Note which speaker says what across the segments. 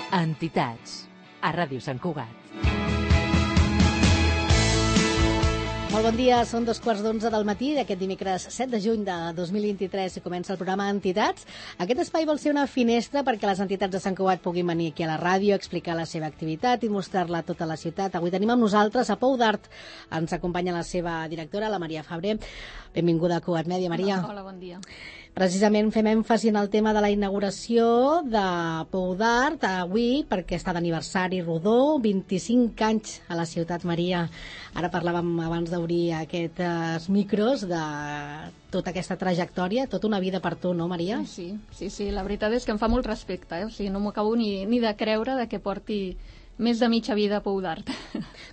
Speaker 1: Entitats, a Ràdio Sant Cugat.
Speaker 2: Molt bon dia, són 2:15 del matí d'aquest dimecres 7 de juny de 2023 i comença el programa Entitats. Aquest espai vol ser una finestra perquè les entitats de Sant Cugat puguin venir aquí a la ràdio, explicar la seva activitat i mostrar-la a tota la ciutat. Avui tenim amb nosaltres a Pou d'Art. Ens acompanya la seva directora, la Maria Fabrer. Benvinguda a Cugat Mèdia, Maria.
Speaker 3: Hola, bon dia.
Speaker 2: Precisament fem èmfasi en el tema de la inauguració de Pou d'Art avui perquè està d'aniversari rodó, 25 anys a la ciutat, Maria. Ara parlàvem abans d'obrir aquests micros de tota aquesta trajectòria, tota una vida per tu, no, Maria?
Speaker 3: Sí, la veritat és que em fa molt respecte, O sigui, no m'ho acabo ni de creure de que porti més de mitja vida a Pou d'Art.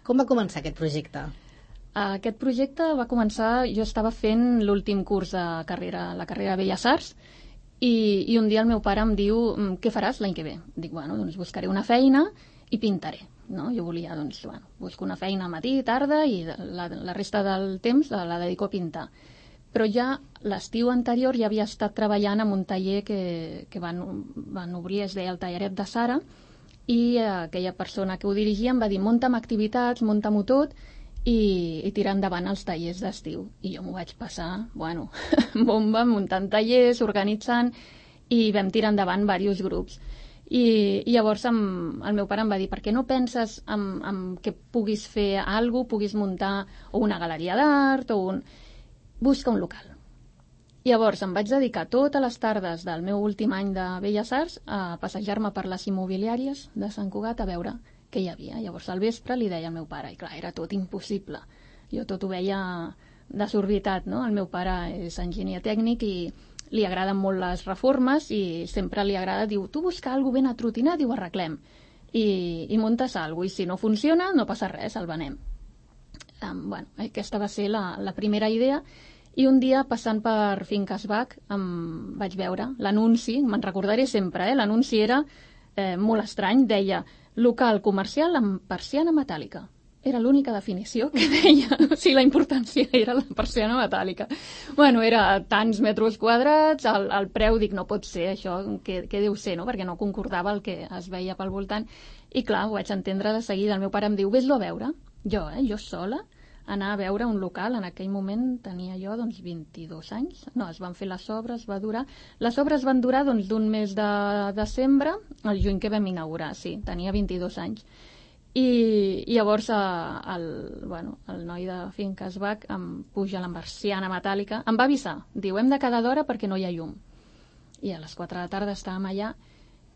Speaker 2: Com va començar aquest projecte?
Speaker 3: Aquest projecte va començar, jo estava fent l'últim curs de carrera, la carrera de Belles Arts, i un dia el meu pare em diu, què faràs l'any que ve? Dic, bueno, doncs buscaré una feina i pintaré, no? Jo volia, doncs, bueno, busco una feina matí, tarda, i la resta del temps la dedico a pintar. Però ja l'estiu anterior ja havia estat treballant en un taller que van obrir, es deia el Talleret de Sara, i aquella persona que ho dirigia em va dir, munta'm activitats, munta-m'ho tot, i tirar endavant els tallers d'estiu. I jo m'ho vaig passar, bueno, bomba, muntant tallers, organitzant, i vam tirar endavant diversos grups. I llavors el meu pare em va dir, per què no penses en que puguis fer alguna cosa, puguis muntar o una galeria d'art, busca un local. Llavors em vaig dedicar totes les tardes del meu últim any de Belles Arts a passejar-me per les immobiliàries de Sant Cugat a veure què hi havia. Llavors al vespre li deia al meu pare, i clar, era tot impossible. Jo tot ho veia desorbitat, no? El meu pare és enginyer tècnic i li agraden molt les reformes i sempre li agrada, diu, tu busca alguna cosa ben atrotinat i ho arreglem. I muntes alguna cosa, i si no funciona no passa res, el venem. Bueno, aquesta va ser la primera idea, i un dia passant per Finques Bach vaig veure l'anunci, me'n recordaré sempre, l'anunci era molt estrany, deia local comercial amb persiana metàl·lica. Era l'única definició que deia, o sigui, la importància era la persiana metàl·lica. Bueno, era tants metres quadrats, el preu, dic, no pot ser això, què deu ser, no? Perquè no concordava el que es veia pel voltant. I clar, ho vaig entendre de seguida. El meu pare em diu, ves-lo a veure. Jo sola, anar a veure un local. En aquell moment tenia jo, 22 anys. No, es van fer les obres, va durar... Les obres van durar, d'un mes de desembre al juny que vam inaugurar, sí, tenia 22 anys. I llavors el noi de Finques Bach em puja la persiana metàl·lica, em va avisar, diu, hem de quedar d'hora perquè no hi ha llum. I a les 4 de la tarda estàvem allà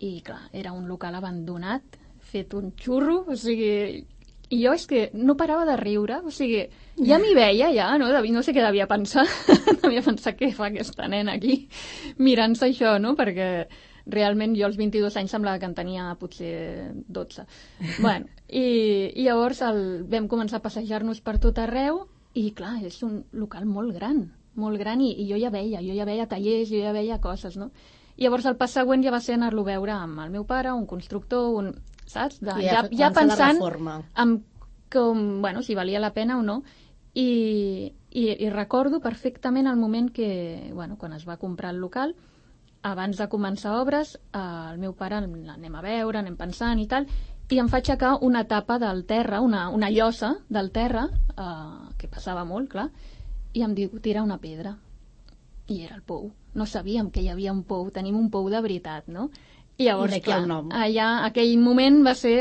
Speaker 3: i, clar, era un local abandonat, fet un xurro, o sigui... I jo és que no parava de riure, o sigui, ja m'hi veia, no sé què devia pensar, devia pensar què fa aquesta nena aquí, mirant-se això, no?, perquè realment jo als 22 anys semblava que en tenia potser 12. Bueno, i llavors vam començar a passejar-nos per tot arreu, i clar, és un local molt gran, i jo ja veia tallers, jo ja veia coses, no? I llavors el pas següent ja va ser anar-lo a veure amb el meu pare, un constructor, saps? Ja pensant en si valia la pena o no. I recordo perfectament el moment que, quan es va comprar el local, abans de començar obres, el meu pare anem a veure, anem pensant i tal, i em fa aixecar una tapa del terra, una llosa del terra, que passava molt, clar, i em diu, tira una pedra. I era el pou. No sabíem que hi havia un pou, tenim un pou de veritat, no? I llavors, clar, allà, aquell moment va ser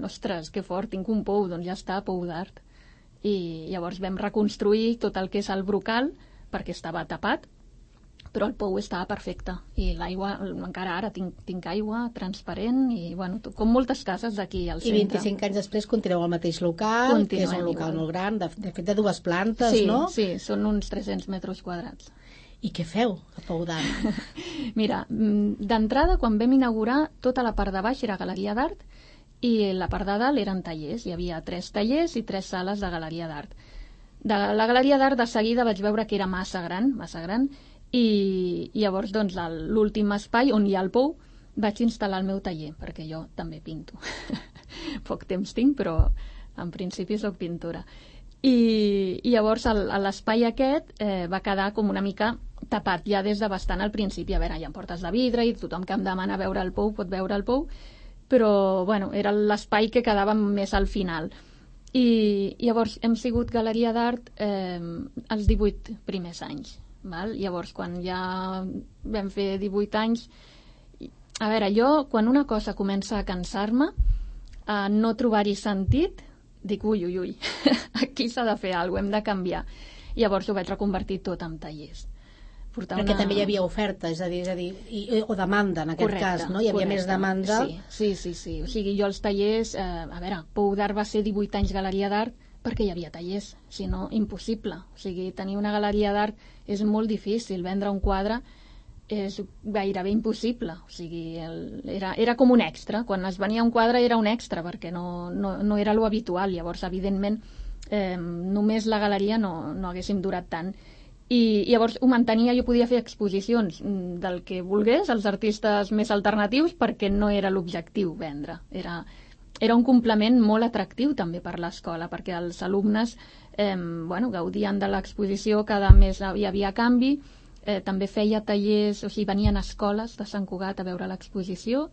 Speaker 3: ostres, que fort, tinc un pou, doncs ja està, Pou d'Art. I llavors vam reconstruir tot el que és el brocal, perquè estava tapat, però el pou estava perfecte. I l'aigua, encara ara tinc aigua transparent, i com moltes cases d'aquí al centre.
Speaker 2: I 25 anys després continueu al mateix local, que és un local molt gran, de fet de 2 plantes, no?
Speaker 3: Sí, són uns 300 metres quadrats.
Speaker 2: I què feu a Pou d'Art?
Speaker 3: Mira, d'entrada, quan vam inaugurar, tota la part de baix era galeria d'art i la part de dalt eren tallers. Hi havia 3 tallers i 3 sales de galeria d'art. De la galeria d'art de seguida vaig veure que era massa gran, i llavors l'últim espai on hi ha el pou vaig instal·lar el meu taller, perquè jo també pinto. Poc temps tinc, però en principi soc pintora. I llavors l'espai aquest va quedar com una mica tapat ja des de bastant al principi. A veure, hi ha portes de vidre i tothom que em demana veure el pou pot veure el pou, però bueno, era l'espai que quedava més al final. I llavors hem sigut Galeria d'Art els 18 primers anys. Val? Llavors, quan ja vam fer 18 anys, a veure, jo, quan una cosa comença a cansar-me, a no trobar-hi sentit, dic, ui, aquí s'ha de fer alguna cosa, hem de canviar. Llavors ho vaig reconvertir tot en tallers.
Speaker 2: Perquè també hi havia oferta, és a dir, o demanda, en aquest cas, no? Hi havia més demanda.
Speaker 3: Sí. O sigui, jo els tallers... a veure, Pou d'Art va ser 18 anys Galeria d'Art perquè hi havia tallers, si no, impossible. O sigui, tenir una galeria d'art és molt difícil, vendre un quadre és gairebé impossible. O sigui, era com un extra. Quan es venia un quadre era un extra, perquè no era lo habitual. Llavors, evidentment, només la galeria no haguéssim durat tant. I llavors ho mantenia, jo podia fer exposicions del que volgués, els artistes més alternatius, perquè no era l'objectiu vendre. Era un complement molt atractiu també per l'escola, perquè els alumnes gaudien de l'exposició, cada mes hi havia canvi, també feia tallers, o sigui, venien a escoles de Sant Cugat a veure l'exposició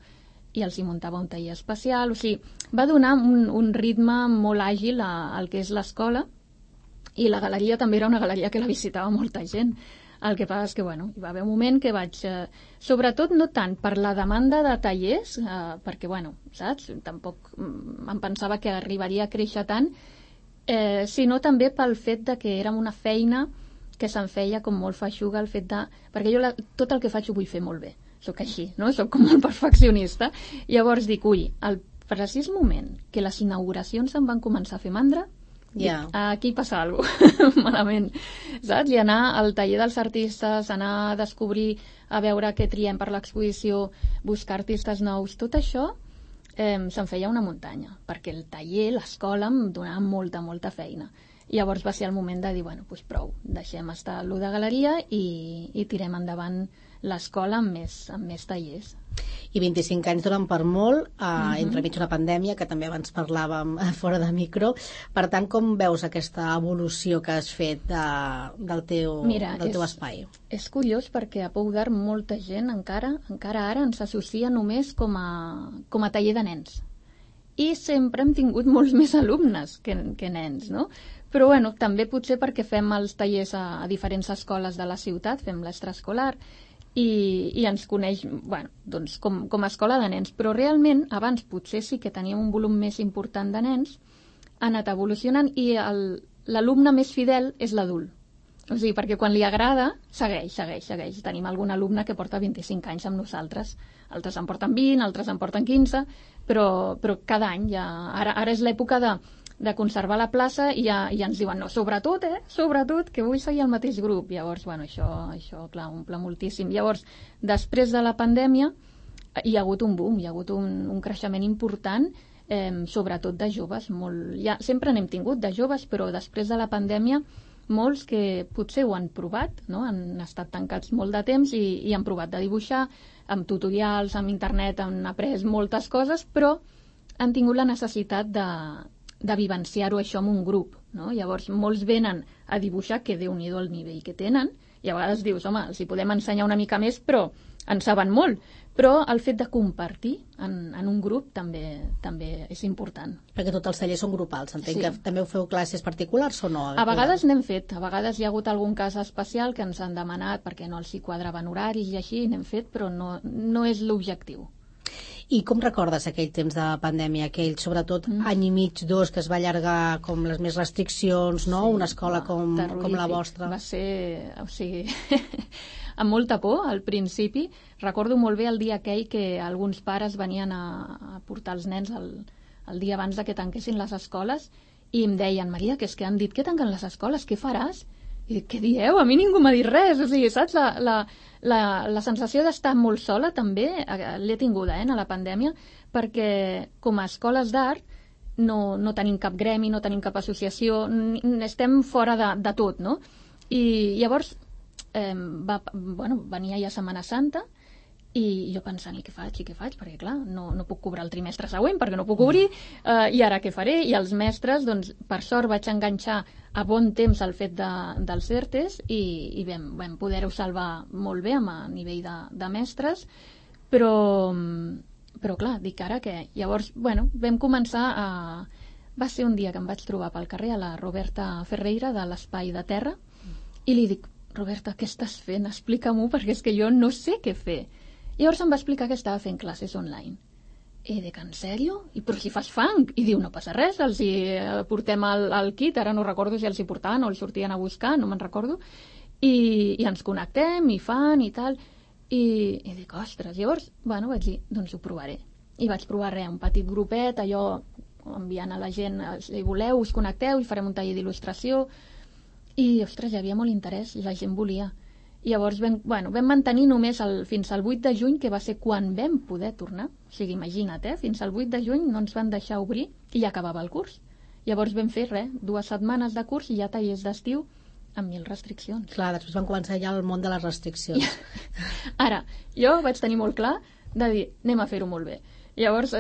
Speaker 3: i els hi muntava un taller especial, o sigui, va donar un ritme molt àgil al que és l'escola. I la galeria també era una galeria que la visitava molta gent. El que passa és que, bueno, hi va haver un moment que vaig... sobretot no tant per la demanda de tallers, perquè, bueno, saps? Tampoc em pensava que arribaria a créixer tant, sinó també pel fet de que érem una feina que se'n feia com molt feixuga, el fet de... Perquè jo tot el que faig ho vull fer molt bé. Soc així, no? Soc com molt perfeccionista. Llavors dic, al precís moment que les inauguracions em van començar a fer mandra, aquí passa alguna cosa malament, saps? I anar al taller dels artistes, anar a descobrir, a veure què triem per l'exposició, buscar artistes nous, tot això se'n feia una muntanya, perquè el taller, l'escola em donava molta feina. I llavors va ser el moment de dir, bueno, doncs prou, deixem estar allò de galeria i tirem endavant l'escola amb més tallers.
Speaker 2: I 25 anys donen per molt, entremig una pandèmia, que també abans parlàvem fora de micro. Per tant, com veus aquesta evolució que has fet del teu espai?
Speaker 3: És curiós perquè a Pou d'Art molta gent encara ara ens associa només com a taller de nens. I sempre hem tingut molts més alumnes que nens, no? Però bueno, també potser perquè fem els tallers a diferents escoles de la ciutat, fem l'extraescolar, i ens coneix, bueno, doncs com a escola de nens, però realment abans potser sí que teníem un volum més important de nens, ha anat evolucionant i l'alumne més fidel és l'adult. O sigui, perquè quan li agrada, segueix. Tenim algun alumne que porta 25 anys amb nosaltres, altres en porten 20, altres en porten 15, però cada any ara és l'època de conservar la plaça i ja ens diuen, no, sobretot, que vull seguir el mateix grup. Llavors, bueno, això clar, omple moltíssim. Llavors, després de la pandèmia, hi ha hagut un boom, hi ha hagut un creixement important, sobretot de joves. Sempre n'hem tingut de joves, però després de la pandèmia, molts que potser ho han provat, no? Han estat tancats molt de temps i han provat de dibuixar, amb tutorials, amb internet, han après moltes coses, però han tingut la necessitat de vivenciar-ho això amb un grup, no? Llavors molts venen a dibuixar, que Déu-n'hi-do el nivell que tenen, i a vegades dius, home, els hi podem ensenyar una mica més, però en saben molt. Però el fet de compartir en un grup també és important.
Speaker 2: Perquè tots els tallers són grupals, entenc que també ho feu classes particulars o no?
Speaker 3: A vegades n'hem fet, a vegades hi ha hagut algun cas especial que ens han demanat perquè no els hi quadraven horaris i així, n'hem fet, però no és l'objectiu.
Speaker 2: I com recordes aquell temps de pandèmia, aquell, sobretot, any i mig, 2, que es va allargar com les més restriccions, no? Una escola com la vostra.
Speaker 3: Va ser, o sigui, amb molta por al principi. Recordo molt bé el dia aquell que alguns pares venien a portar els nens el dia abans que tanquessin les escoles i em deien, Maria, que és que han dit que tanquen les escoles, què faràs? I dic, què dieu? A mi ningú m'ha dit res. O sigui, saps? La sensació d'estar molt sola també l'he tinguda a la pandèmia, perquè com a escoles d'art no tenim cap gremi, no tenim cap associació, estem fora de tot, no? I llavors venia ja Setmana Santa i jo pensant, i què faig? Perquè clar, no puc cobrar el trimestre següent perquè no puc obrir, i ara què faré? I els mestres, doncs, per sort vaig enganxar a bon temps el fet dels ERTEs i vam poder-ho salvar molt bé a nivell de mestres, però Però clar, dic ara què? Llavors, vam començar a... Va ser un dia que em vaig trobar pel carrer a la Roberta Ferreira de l'Espai de Terra i li dic, Roberta, què estàs fent? Explica-m'ho, perquè és que jo no sé què fer. Llavors em va explicar que estava fent classes online. I dic, en sèrio? Però si fas funk? I diu, no passa res, els hi portem el kit, ara no recordo si els hi portaven o els sortien a buscar, no me'n recordo, i ens connectem, i fan, i tal, i dic, ostres, llavors, vaig dir, doncs ho provaré. I vaig provar un petit grupet, allò, enviant a la gent, si voleu, us connecteu i farem un taller d'il·lustració, i, ostres, hi havia molt interès, la gent volia. I llavors vam mantenir només fins al 8 de juny, que va ser quan vam poder tornar. O sigui, imagina't, fins al 8 de juny no ens van deixar obrir i ja acabava el curs. Llavors vam fer 2 setmanes de curs i ja tallers d'estiu amb 1000 restriccions.
Speaker 2: Clar, després van començar ja el món de les restriccions.
Speaker 3: Ara, jo vaig tenir molt clar de dir, anem a fer-ho molt bé. Llavors,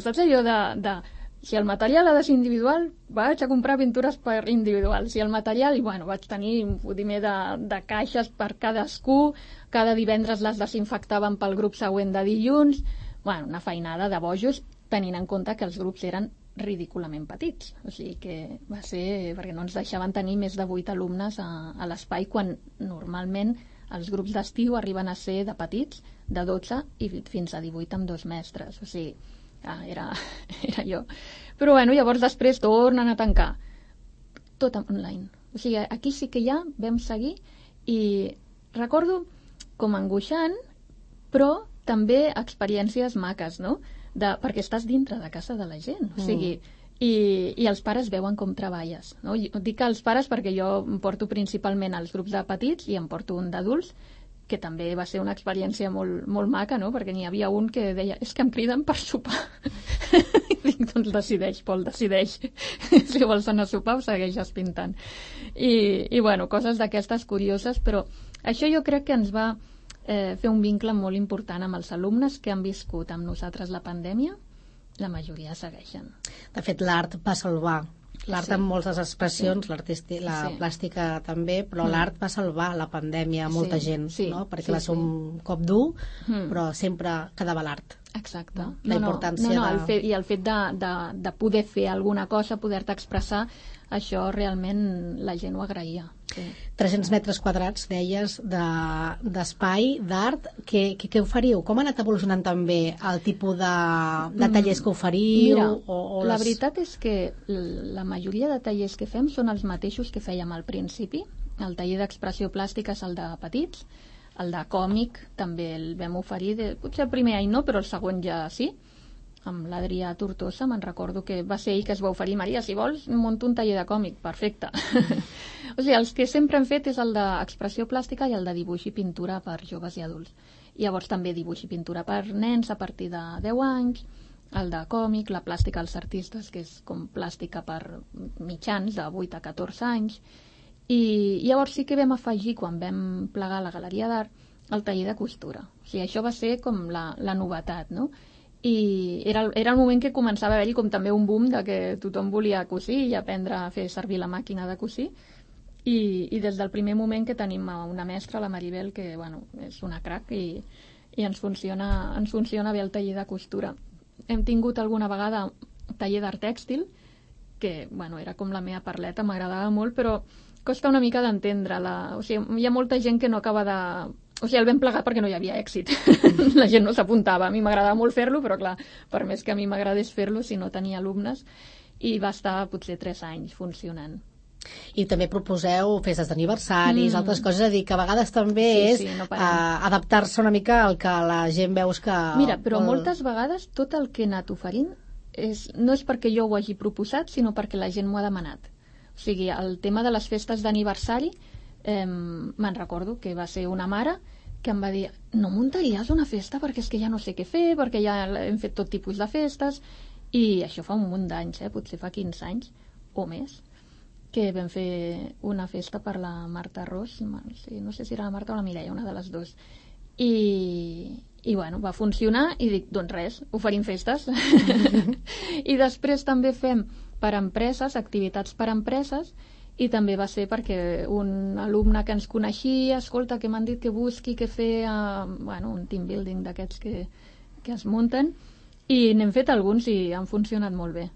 Speaker 3: saps allò de si el material ha de ser individual, vaig a comprar pintures per individual. Si el material, vaig tenir un fotimer de caixes per cadascú, cada divendres les desinfectàvem pel grup següent de dilluns, una feinada de bojos, tenint en compte que els grups eren ridículament petits. O sigui que va ser perquè no ens deixaven tenir més de 8 alumnes a l'espai, quan normalment els grups d'estiu arriben a ser de petits, de 12 i fins a 18 amb 2 mestres. O sigui, era jo. Però llavors després tornen a tancar. Tot online. O sigui, aquí sí que ja vam seguir i recordo com angoixant, però també experiències maques, no? Perquè estàs dintre de casa de la gent. O sigui, i els pares veuen com treballes, no? Dic els pares perquè jo em porto principalment els grups de petits i em porto un d'adults, que també va ser una experiència molt, molt maca, no? Perquè n'hi havia un que deia, és que em criden per sopar. I dic, doncs decideix, Pol, decideix. Si vols anar a sopar o segueixes pintant. I coses d'aquestes curioses, però això jo crec que ens va fer un vincle molt important amb els alumnes que han viscut amb nosaltres la pandèmia. La majoria segueixen.
Speaker 2: De fet, l'art va salvar. L'art amb moltes expressions, la plàstica també, però l'art va salvar la pandèmia a molta gent, no? Perquè va ser un cop dur, però sempre quedava l'art.
Speaker 3: Exacte.
Speaker 2: La importància
Speaker 3: i el fet de poder fer alguna cosa, poder-te expressar, això realment la gent ho agraïa.
Speaker 2: 300 metres quadrats, deies, d'espai, d'art. Què oferiu? Com ha anat evolucionant també el tipus de tallers que oferiu?
Speaker 3: Mira, la veritat és que la majoria de tallers que fem són els mateixos que fèiem al principi. El taller d'expressió plàstica és el de petits, el de còmic també el vam oferir, potser el primer any no, però el segon ja sí, amb l'Adrià Tortosa, me'n recordo que va ser ell que es va oferir, Maria, si vols, munto un taller de còmic, perfecte. O sigui, els que sempre hem fet és el d'expressió plàstica i el de dibuix i pintura per joves i adults. Llavors també dibuix i pintura per nens a partir de 10 anys, el de còmic, la plàstica als artistes, que és com plàstica per mitjans de 8 a 14 anys, i llavors sí que vam afegir, quan vam plegar la Galeria d'Art, el taller de costura. O sigui, això va ser com la novetat, no? I era el moment que començava a haver-hi com també un boom de que tothom volia cosir i aprendre a fer servir la màquina de cosir, i des del primer moment que tenim una mestra, la Maribel, que és una crac i ens funciona bé el taller de costura. Hem tingut alguna vegada taller d'art tèxtil, que era com la meva parleta, m'agradava molt, però costa una mica d'entendre-la. O sigui, hi ha molta gent que no acaba de... O sigui, el vam plegar perquè no hi havia èxit. La gent no s'apuntava. A mi m'agradava molt fer-lo, però clar, per més que a mi m'agradés fer-lo, si no tenia alumnes, i va estar potser 3 anys funcionant.
Speaker 2: I també proposeu festes d'aniversaris, altres coses, a dir, que a vegades també és adaptar-se una mica al que la gent veus que...
Speaker 3: Mira, però moltes vegades tot el que he anat oferint no és perquè jo ho hagi proposat, sinó perquè la gent m'ho ha demanat. O sigui, el tema de les festes d'aniversari, me'n recordo que va ser una mare que em va dir, no muntaries una festa perquè és que ja no sé què fer, perquè ja hem fet tot tipus de festes, i això fa un munt d'anys, potser fa 15 anys o més, que vam fer una festa per la Marta Ros, no sé si era la Marta o la Mireia, una de les dues, i va funcionar, i dic, doncs res, oferim festes. I després també fem per empreses, activitats per empreses, i també va ser perquè un alumne que ens coneixia, escolta, que m'han dit que busqui, que fer un team building d'aquests que que es munten, i n'hem fet alguns i han funcionat molt bé.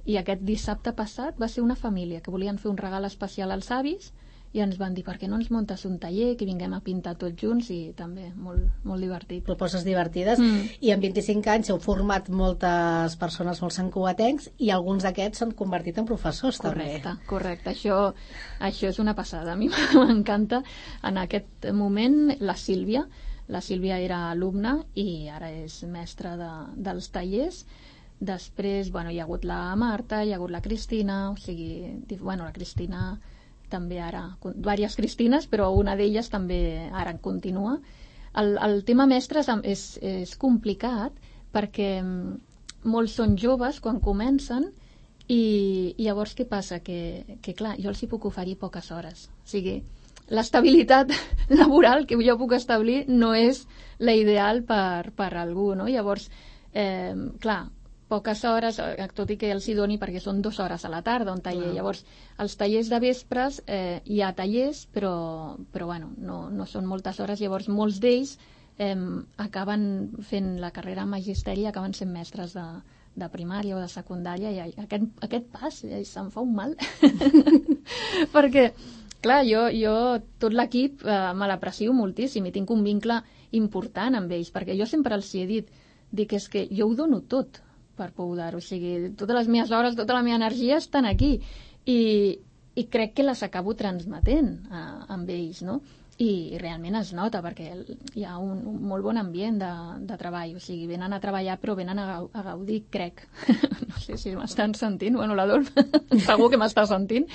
Speaker 3: I aquest dissabte passat va ser una família que volien fer un regal especial als avis i ens van dir, per què no ens muntes un taller, que vinguem a pintar tots junts, i també molt, molt divertit.
Speaker 2: Propostes divertides. I en 25 anys heu format moltes persones, molts santcugatencs, i alguns d'aquests s'han convertit en professors, també.
Speaker 3: Correcte. Això és una passada. A mi m'encanta. En aquest moment, la Sílvia era alumna i ara és mestra dels tallers. Després, hi ha hagut la Marta, hi ha hagut la Cristina, la Cristina també ara, diverses Cristines, però una d'elles també ara en continua. El tema mestres és complicat perquè molts són joves quan comencen i llavors què passa? Que clar, jo els hi puc oferir poques hores. O sigui, l'estabilitat laboral que jo puc establir no és la ideal per algú, no? Llavors, clar, poques hores, tot i que els hi doni perquè són 2 hores a la tarda un taller. Llavors, els tallers de vespres hi ha tallers, però no són moltes hores. Llavors, molts d'ells acaben fent la carrera en magisteri i acaben sent mestres de primària o de secundària, i aquest pas se'm fa un mal. Perquè, clar, jo tot l'equip me l'aprecio moltíssim i tinc un vincle important amb ells, perquè jo sempre els hi he dit, és que jo ho dono tot per Poudar, o sigui, totes les meves hores, tota la meva energia estan aquí i crec que les acabo transmetent amb ells, no? I realment es nota perquè hi ha un molt bon ambient de treball, o sigui, venen a treballar però venen a gaudir, crec. No sé si m'estan sentint, l'Adolf segur que m'està sentint.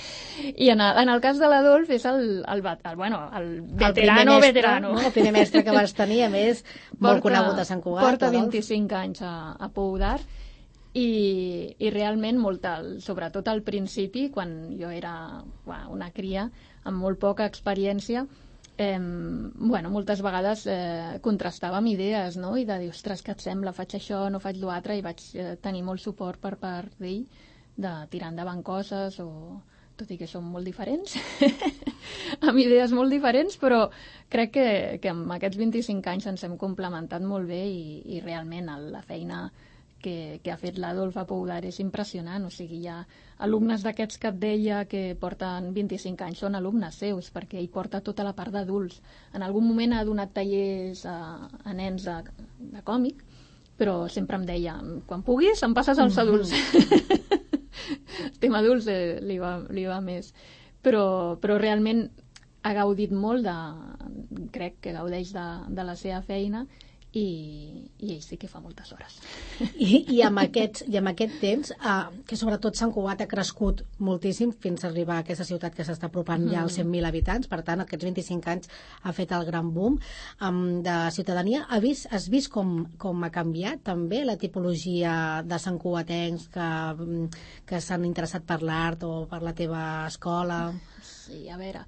Speaker 3: I en el cas de l'Adolf és el veterano.
Speaker 2: El primer mestre que vas tenir, a més, molt conegut a Sant Cugat.
Speaker 3: Porta 25 anys a Poudar i realment sobretot al principi, quan jo era una cria amb molt poca experiència, moltes vegades contrastava amb idees, no? I de dir, ostres, què et sembla, faig això, no faig l'altre, i vaig tenir molt suport per part d'ell de tirar endavant coses, tot i que som molt diferents amb idees molt diferents, però crec que amb aquests 25 anys ens hem complementat molt bé i realment la feina que ha fet l'Adolf a Poudar és impressionant. O sigui, hi ha alumnes d'aquests que et deia que porten 25 anys, són alumnes seus, perquè ell porta tota la part d'adults. En algun moment ha donat tallers a nens de còmic, però sempre em deia, quan puguis em passes als adults. El tema adults li va més. Però realment ha gaudit molt crec que gaudeix de la seva feina, i ell sí que fa moltes hores.
Speaker 2: I amb aquest temps, que sobretot Sant Cugat ha crescut moltíssim fins a arribar a aquesta ciutat que s'està apropant ja als 100.000 habitants, per tant, aquests 25 anys ha fet el gran boom de ciutadania. Has vist com ha canviat també la tipologia de santcugatencs que s'han interessat per l'art o per la teva escola?
Speaker 3: Sí, a veure...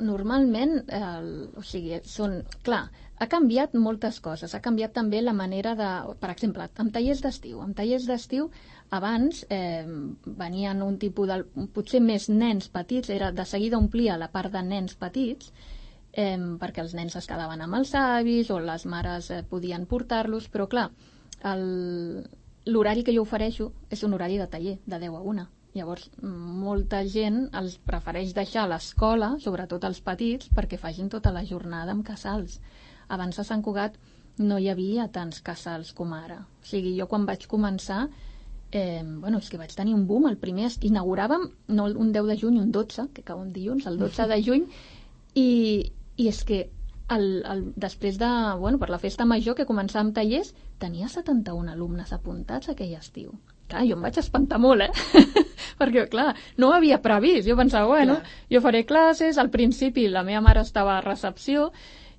Speaker 3: Normalment, clar, ha canviat moltes coses. Ha canviat també la manera per exemple, amb tallers d'estiu. Amb tallers d'estiu, abans venien un tipus potser més nens petits, de seguida omplia la part de nens petits, perquè els nens es quedaven amb els avis o les mares podien portar-los, però clar, l'horari que jo ofereixo és un horari de taller, de 10 a 1. Llavors, molta gent els prefereix deixar a l'escola, sobretot els petits, perquè facin tota la jornada amb casals. Abans a Sant Cugat no hi havia tants casals com ara. O sigui, jo quan vaig començar, és que vaig tenir un boom. El primer inauguràvem, no un 10 de juny, un 12, que cau un dilluns, el 12 de juny, i és que després per la festa major que començàvem tallers, tenia 71 alumnes apuntats aquell estiu. Clar, jo em vaig espantar molt, perquè, clar, no ho havia previst. Jo pensava, jo faré classes, al principi la meva mare estava a recepció,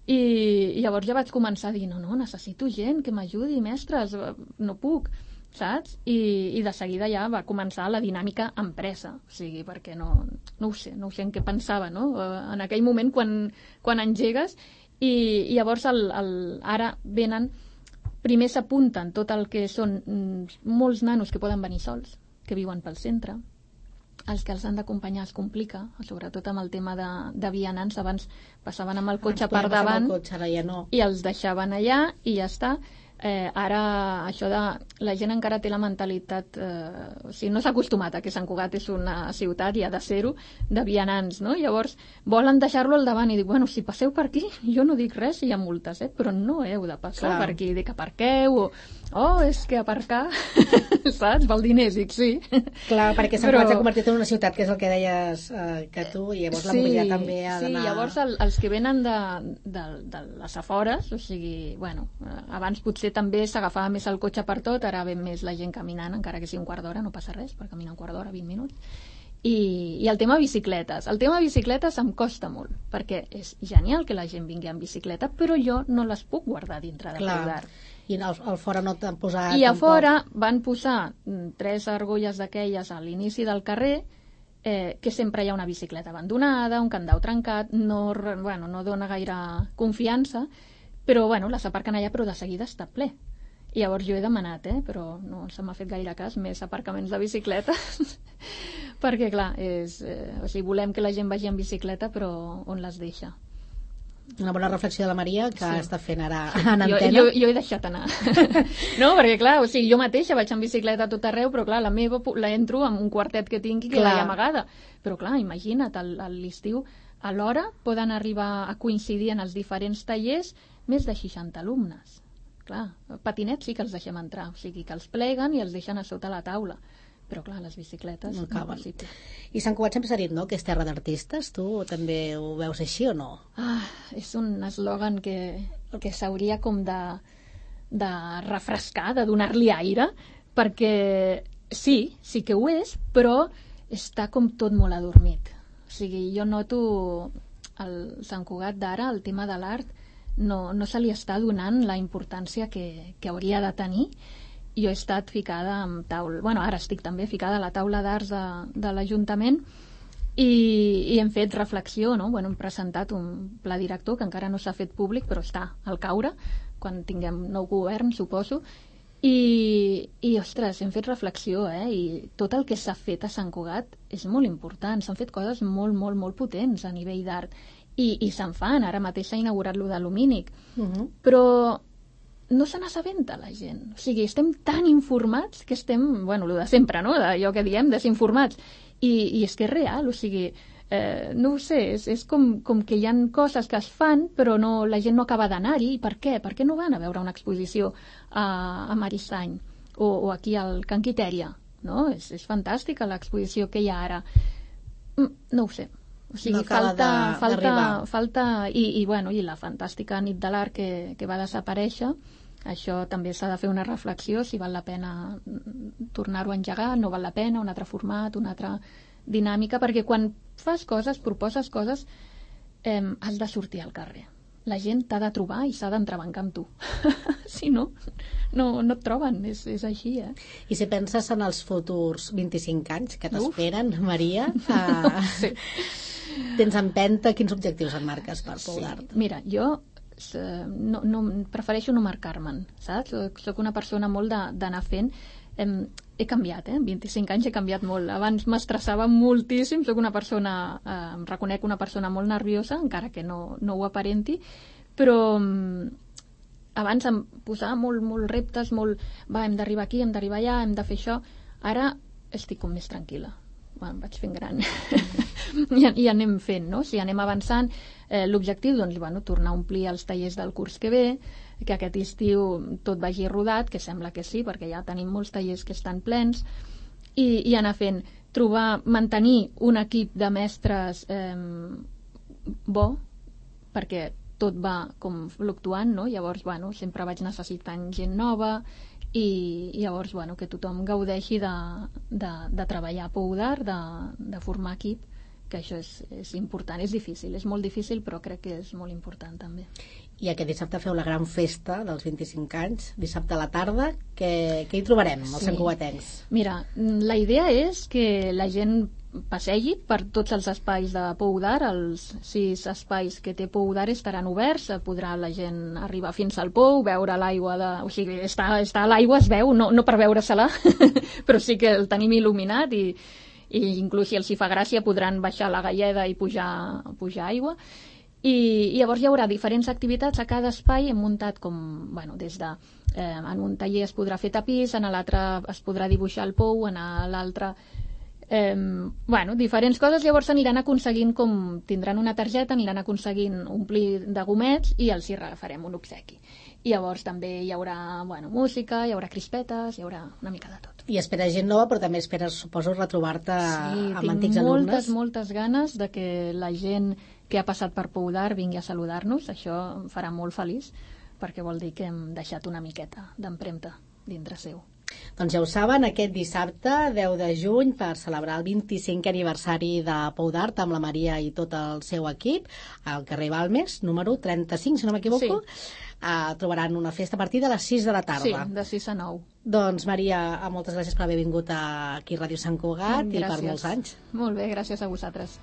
Speaker 3: i llavors ja vaig començar a dir, no, necessito gent que m'ajudi, mestres, no puc, saps? I de seguida ja va començar la dinàmica empresa, o sigui, perquè no ho sé en què pensava, no? En aquell moment quan engegues, i llavors ara venen... Primer s'apunten tot el que són molts nanos que poden venir sols, que viuen pel centre, els que els han d'acompanyar es complica, sobretot amb el tema de vianants. Abans passaven amb el cotxe per davant i els deixaven allà i ja està. Ara això de la gent encara té la mentalitat o sigui, no s'ha acostumat a que Sant Cugat és una ciutat i ha de ser-ho de vianants, no? Llavors volen deixar-lo al davant i dic, bueno, si passeu per aquí jo no dic res si hi ha multes, però no heu de passar per aquí, dic aparqueu és que aparcar saps, val diners, dic sí.
Speaker 2: Clar, perquè Sant Cugat s'ha convertit en una ciutat, que és el que deies que tu, i llavors la mobilitat també ha d'anar...
Speaker 3: Sí, llavors els que venen de les afores, o sigui, bueno, abans potser també s'agafava més el cotxe per tot, ara ven més la gent caminant, encara que sigui un quart d'hora, no passa res, per caminar un quart d'hora, 20 minuts. I el tema bicicletes. El tema bicicletes em costa molt, perquè és genial que la gent vingui amb bicicleta, però jo no les puc guardar dintre de Peudar.
Speaker 2: I al fora no t'han posat...
Speaker 3: I a fora van posar 3 argolles d'aquelles a l'inici del carrer, que sempre hi ha una bicicleta abandonada, un candau trencat, no dona gaire confiança, però les aparquen allà, però de seguida està ple. I llavors jo he demanat, però no se m'ha fet gaire cas, més aparcaments de bicicletes, perquè clar, o sigui, volem que la gent vagi en bicicleta, però on les deixa?
Speaker 2: Una bona reflexió de la Maria, que està fent ara en antena.
Speaker 3: Jo he deixat anar. No, perquè clar, o sigui, jo mateixa vaig en bicicleta a tot arreu, però clar, la meva la entro amb un quartet que tingui que la hi amagada. Però clar, imagina't, a l'estiu, a l'hora poden arribar a coincidir en els diferents tallers més de 60 alumnes. Clar, patinets sí que els deixem entrar, o sigui que els pleguen i els deixen a sota la taula. Però clar, les bicicletes no és possible.
Speaker 2: I Sant Cugat sempre s'ha dit, no?, que és terra d'artistes. Tu també ho veus així o no?
Speaker 3: És un eslògan que s'hauria com de refrescar, de donar-li aire, perquè sí que ho és, però està com tot molt adormit. O sigui, jo noto el Sant Cugat d'ara, el tema de l'art, no se li està donant la importància que hauria de tenir. Jo he estat ficada amb ara estic també ficada a la taula d'arts de l'Ajuntament i hem fet reflexió, no? Hem presentat un pla director que encara no s'ha fet públic, però està al caure, quan tinguem nou govern, suposo, i ostres, hem fet reflexió, i tot el que s'ha fet a Sant Cugat és molt important, s'han fet coses molt, molt, molt potents a nivell d'art, i se'n fan, ara mateix s'ha inaugurat lo de Lumínic, però no se n'assabenta la gent, o sigui, estem tan informats que estem, lo de sempre, no?, d'allò que diem, desinformats, i és que és real, o sigui, no ho sé, és com que hi ha coses que es fan, però la gent no acaba d'anar-hi. I per què? Per què no van a veure una exposició a Maristany o aquí al Can Quitèria, no? És fantàstica l'exposició que hi ha ara. No ho sé. O sigui,
Speaker 2: no
Speaker 3: falta i la fantàstica nit de l'art que va desaparèixer. Això també s'ha de fer una reflexió, si val la pena tornar-ho a engegar, no val la pena, un altre format, una altra dinàmica, perquè quan fas coses, proposes coses, has de sortir al carrer. La gent t'ha de trobar i s'ha d'entrebancar amb tu. Si no et troben, és així,
Speaker 2: I si penses en els futurs 25 anys que t'esperen, Maria,
Speaker 3: sí.
Speaker 2: Tens empenta, quins objectius et marques per Peudar?
Speaker 3: Mira, jo prefereixo no marcar-me'n, saps? Soc una persona molt d'anar fent. He canviat, 25 anys he canviat molt. Abans m'estressava moltíssim, soc una persona, em reconec una persona molt nerviosa, encara que no ho aparenti, però abans em posava molt reptes, hem d'arribar aquí, hem d'arribar allà, hem de fer això. Ara estic com més tranquil·la. Em vaig fent gran i anem fent, no? Si anem avançant, l'objectiu, tornar a omplir els tallers del curs que ve, que aquest estiu tot vagi rodat, que sembla que sí, perquè ja tenim molts tallers que estan plens, i anar fent, mantenir un equip de mestres bo, perquè tot va com fluctuant, no? Llavors, sempre vaig necessitant gent nova, i llavors, que tothom gaudeixi de treballar a Peudar, de formar equip, que això és important, és difícil, és molt difícil, però crec que és molt important també.
Speaker 2: I aquest dissabte feu la gran festa dels 25 anys, dissabte a la tarda, què hi trobarem, els santcugatencs?
Speaker 3: Mira, la idea és que la gent passegi per tots els espais de Peudar, els 6 espais que té Peudar estaran oberts, podrà la gent arribar fins al pou, veure l'aigua, o sigui, està a l'aigua, es veu, no per veure-se-la, però sí que el tenim il·luminat i i inclús si els hi fa gràcia podran baixar la galleda i pujar aigua. I llavors hi haurà diferents activitats a cada espai. Hem muntat com, des de... en un taller es podrà fer tapís, en l'altre es podrà dibuixar el pou, en l'altre... diferents coses. Llavors aniran aconseguint, com tindran una targeta, aniran aconseguint omplir de gomets i els hi regafarem un obsequi. I llavors també hi haurà música, hi haurà crispetes, hi haurà una mica de tot.
Speaker 2: I esperes gent nova, però també esperes, suposo, retrobar-te amb antics alumnes.
Speaker 3: Sí, moltes ganes de que la gent que ha passat per Pou d'Art vingui a saludar-nos. Això em farà molt feliç, perquè vol dir que hem deixat una miqueta d'empremta dintre seu.
Speaker 2: Doncs ja ho saben, aquest dissabte, 10 de juny, per celebrar el 25è aniversari de Pou d'Art amb la Maria i tot el seu equip, al carrer Balmes, número 35, si no m'equivoco, trobaran una festa a partir de les 6 de la tarda.
Speaker 3: Sí, de 6 a 9.
Speaker 2: Doncs, Maria, moltes gràcies per haver vingut aquí a Ràdio Sant Cugat i per molts anys.
Speaker 3: Molt bé, gràcies a vosaltres.